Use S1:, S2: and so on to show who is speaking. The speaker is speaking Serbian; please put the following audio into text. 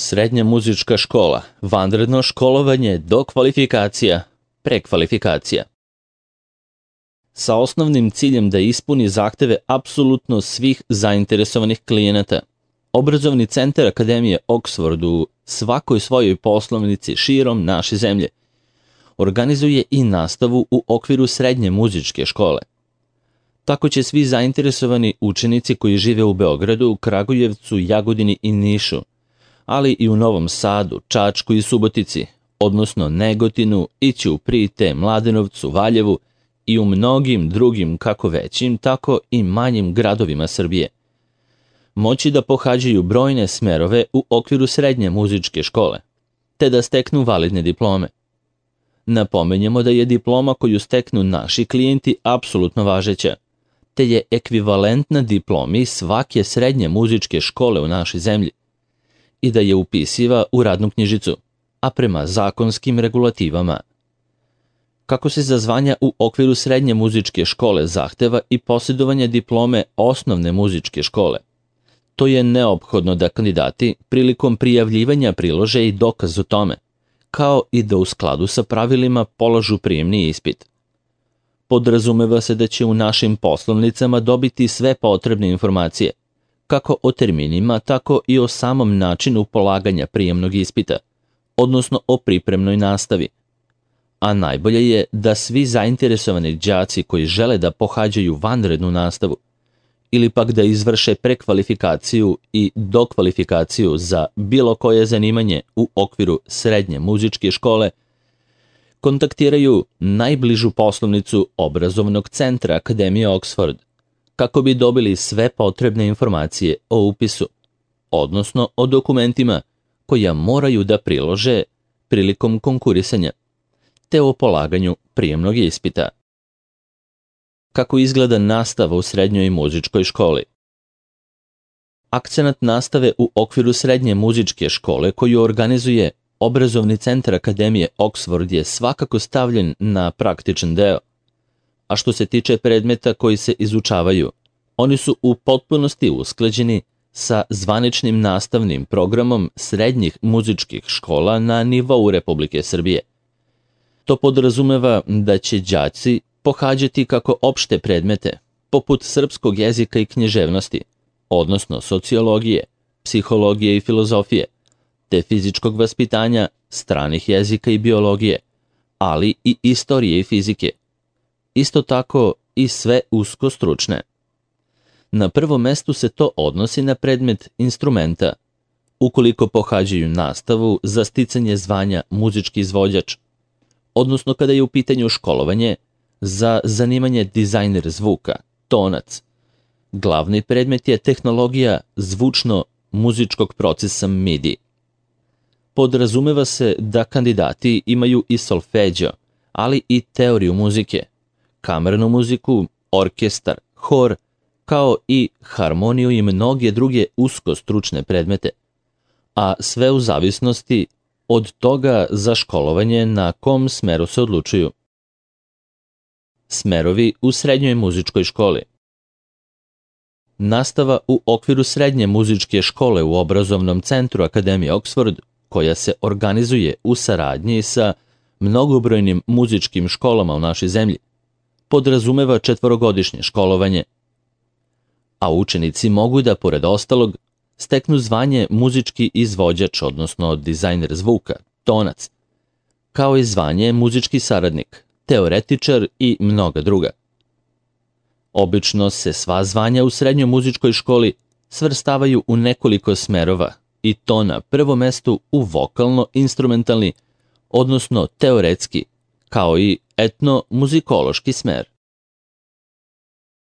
S1: Srednja muzička škola, vanredno školovanje, dokvalifikacija, prekvalifikacija. Sa osnovnim ciljem da ispuni zahteve apsolutno svih zainteresovanih klijenata, Obrazovni centar Akademije Oxford u svakoj svojoj poslovnici širom naše zemlje organizuje i nastavu u okviru srednje muzičke škole. Tako će svi zainteresovani učenici koji žive u Beogradu, Kragujevcu, Jagodini i Nišu, ali i u Novom Sadu, Čačku i Subotici, odnosno Negotinu, ići u Prite, Mladenovcu, Valjevu i u mnogim drugim kako većim, tako i manjim gradovima Srbije. Moći da pohađaju brojne smerove u okviru srednje muzičke škole, te da steknu validne diplome. Napomenjemo da je diploma koju steknu naši klijenti apsolutno važeća, te je ekvivalentna diplomi svake srednje muzičke škole u našoj zemlji i da je upisiva u radnu knjižicu, a prema zakonskim regulativama. Kako se za zvanja u okviru srednje muzičke škole zahteva i posjedovanje diplome osnovne muzičke škole, to je neophodno da kandidati prilikom prijavljivanja prilože i dokaz o tome, kao i da u skladu sa pravilima polažu prijemni ispit. Podrazumeva se da će u našim poslovnicama dobiti sve potrebne informacije, kako o terminima, tako i o samom načinu polaganja prijemnog ispita, odnosno o pripremnoj nastavi. A najbolje je da svi zainteresovani đaci koji žele da pohađaju vanrednu nastavu ili pak da izvrše prekvalifikaciju i dokvalifikaciju za bilo koje zanimanje u okviru srednje muzičke škole, kontaktiraju najbližu poslovnicu Obrazovnog centra Akademije Oxford kako bi dobili sve potrebne informacije o upisu, odnosno o dokumentima koja moraju da prilože prilikom konkurisanja, te o polaganju prijemnog ispita. Kako izgleda nastava u srednjoj muzičkoj školi? Akcenat nastave u okviru srednje muzičke škole koju organizuje Obrazovni centar Akademije Oxford je svakako stavljen na praktičan deo, a što se tiče predmeta koji se izučavaju, oni su u potpunosti usklađeni sa zvaničnim nastavnim programom srednjih muzičkih škola na nivou Republike Srbije. To podrazumeva da će đaci pohađati kako opšte predmete, poput srpskog jezika i književnosti, odnosno sociologije, psihologije i filozofije, te fizičkog vaspitanja, stranih jezika i biologije, ali i istorije i fizike. Isto tako i sve usko stručne. Na prvom mestu se to odnosi na predmet instrumenta, ukoliko pohađaju nastavu za sticanje zvanja muzički izvođač, odnosno kada je u pitanju školovanje za zanimanje dizajner zvuka, tonac. Glavni predmet je tehnologija zvučno-muzičkog procesa MIDI. Podrazumeva se da kandidati imaju i solfeđo, ali i teoriju muzike, kamernu muziku, orkestar, hor, kao i harmoniju i mnoge druge usko stručne predmete, a sve u zavisnosti od toga za školovanje na kom smeru se odlučuju. Smerovi u srednjoj muzičkoj školi. Nastava u okviru srednje muzičke škole u Obrazovnom centru Akademije Oxford, koja se organizuje u saradnji sa mnogobrojnim muzičkim školama u našoj zemlji, podrazumeva 4-godišnje školovanje, a učenici mogu da, pored ostalog, steknu zvanje muzički izvođač, odnosno dizajner zvuka, tonac, kao i zvanje muzički saradnik, teoretičar i mnoga druga. Obično se sva zvanja u srednjoj muzičkoj školi svrstavaju u nekoliko smerova, i to na prvom mestu u vokalno-instrumentalni, odnosno teoretski, kao i etno-muzikološki smer.